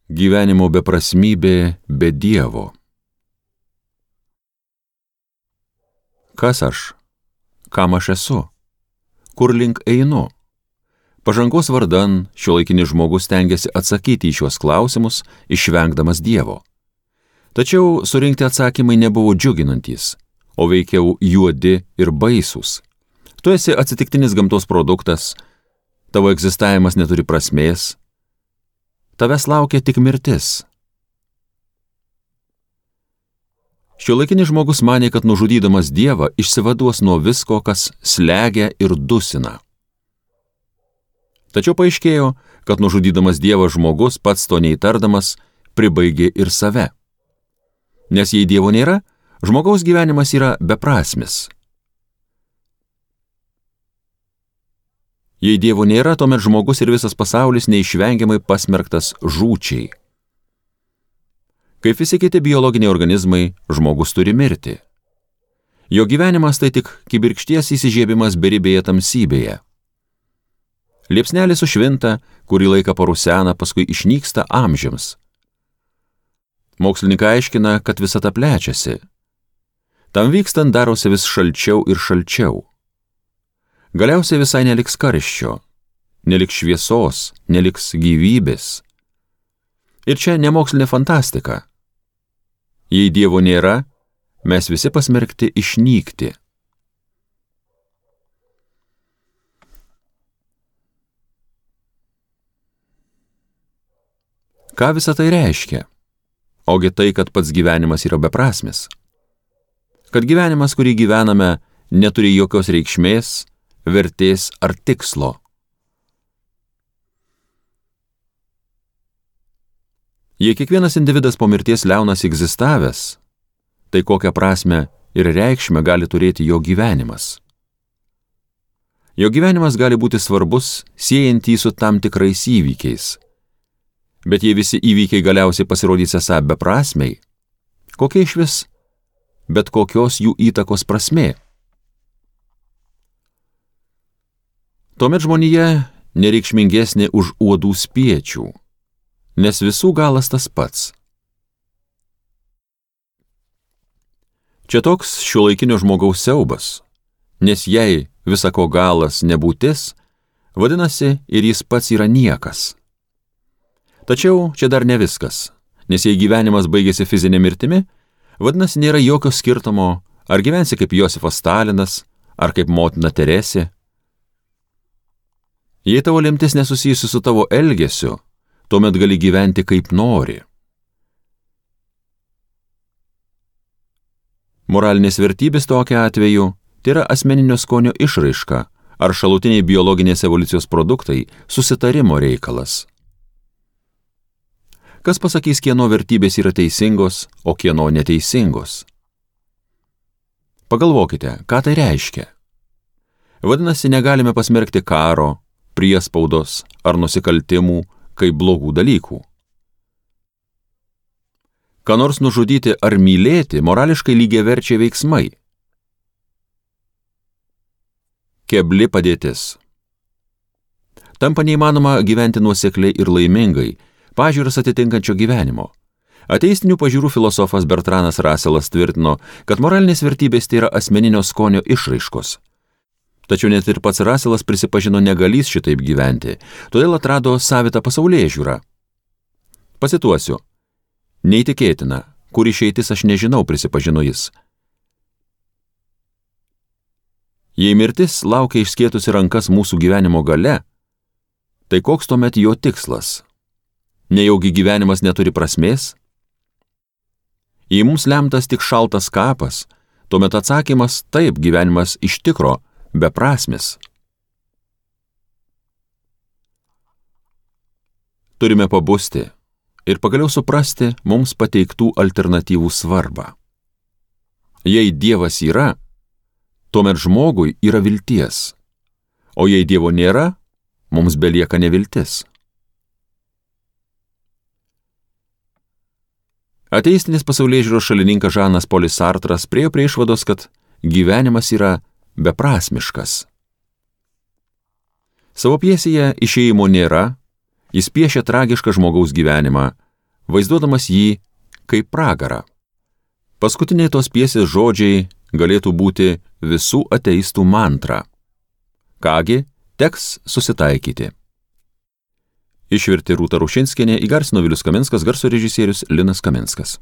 Gyvenimo beprasmybė be Dievo. Kas aš? Kam aš esu? Kur link einu? Pažangos vardan šiuolaikinis žmogus stengiasi atsakyti į šiuos klausimus, išvengdamas Dievo. Tačiau surinkti atsakymai nebuvo džiuginantys, o veikiau juodi ir baisūs. Tu esi atsitiktinis gamtos produktas, tavo egzistavimas neturi prasmės, tavęs laukia tik mirtis. Šiuolaikinis žmogus manė, kad nužudydamas Dievą išsivaduos nuo visko, kas slegia ir dusina. Tačiau paaiškėjo, kad nužudydamas Dievą žmogus, pats to neįtardamas, pribaigė ir save. Nes jei Dievo nėra, žmogaus gyvenimas yra beprasmis. Jei Dievo nėra, tuomet žmogus ir visas pasaulis neišvengiamai pasmerktas žūčiai. Kaip visi kiti biologiniai organizmai, žmogus turi mirti. Jo gyvenimas tai tik kibirkšties įsižiebimas beribėje tamsybėje. Liepsnelė sušvinta, kurį laiką parusena, paskui išnyksta amžiams. Mokslininkai aiškina, kad visata plečiasi. Tam vykstant darosi vis šalčiau ir šalčiau. Galiausiai visai neliks karščio, neliks šviesos, neliks gyvybės. Ir čia ne mokslinė fantastika. Jei Dievo nėra, mes visi pasmerkti išnykti. Ką visa tai reiškia? Ogi tai, kad pats gyvenimas yra beprasmis. Kad gyvenimas, kurį gyvename, neturi jokios reikšmės, vertės ar tikslo. Jei kiekvienas individas po mirties liaunas egzistavęs, tai kokią prasmę ir reikšmę gali turėti jo gyvenimas. Jo gyvenimas gali būti svarbus, siejant jį su tam tikrais įvykiais. Bet jei visi įvykiai galiausiai pasirodys esą beprasmiai, kokia išvis bet kokios jų įtakos prasmė? Tuomet žmonija nereikšmingesnė už uodų spiečių, nes visų galas tas pats. Čia toks šiuolaikinio žmogaus siaubas, nes jei visako galas nebūtis, vadinasi ir jis pats yra niekas. Tačiau čia dar ne viskas, nes jei gyvenimas baigėsi fizinė mirtimi, vadinasi nėra jokio skirtumo, ar gyvensi kaip Josifas Stalinas, ar kaip motina Teresė. Jei tavo lemtis nesusijusi su tavo elgesiu, tuomet gali gyventi kaip nori. Moralinės vertybės tokiu atveju tai yra asmeninio skonio išraiška ar šalutiniai biologinės evoliucijos produktai susitarimo reikalas. Kas pasakys, kieno vertybės yra teisingos, o kieno neteisingos? Pagalvokite, ką tai reiškia. Vadinasi, negalime pasmerkti karo, priespaudos ar nusikaltimų kaip blogų dalykų. Ką nors nužudyti ar mylėti morališkai lygiaverčiai veiksmai. Kebli padėtis. Tampa neįmanoma gyventi nuosekliai ir laimingai, pažiūras atitinkančio gyvenimo. Ateistinių pažiūrų filosofas Bertranas Russellas tvirtino, kad moralinės vertybės tai yra asmeninio skonio išraiškos. Tačiau net ir pats Russellas prisipažino negalys šitaip gyventi, todėl atrado savitą pasaulėžiūrą. Pacituosiu. Neįtikėtina, kur išeitis aš nežinau, prisipažino jis. Jei mirtis laukia išskėtusi rankas mūsų gyvenimo gale, tai koks tuomet jo tikslas? Nejaugi gyvenimas neturi prasmės? Jei mums lemtas tik šaltas kapas, tuomet atsakymas taip, gyvenimas iš tikro beprasmis. Turime pabusti ir pagaliau suprasti mums pateiktų alternatyvų svarbą. Jei Dievas yra, tuomet žmogui yra vilties, o jei Dievo nėra, mums belieka neviltis. Ateistinis pasaulėžiūros šalininkas Žanas Polis Sartras priėjo prie išvados, kad gyvenimas yra beprasmiškas. Savo pjesėje Išėjimo nėra, jis piešia tragišką žmogaus gyvenimą, vaizduodamas jį kaip pragarą. Paskutiniai tos pjesės žodžiai galėtų būti visų ateistų mantra. Kągi, teks susitaikyti. Išvertė Rūta Rušinskienė, įgarsino Vilius Kaminskas, garso režisierius Linas Kaminskas.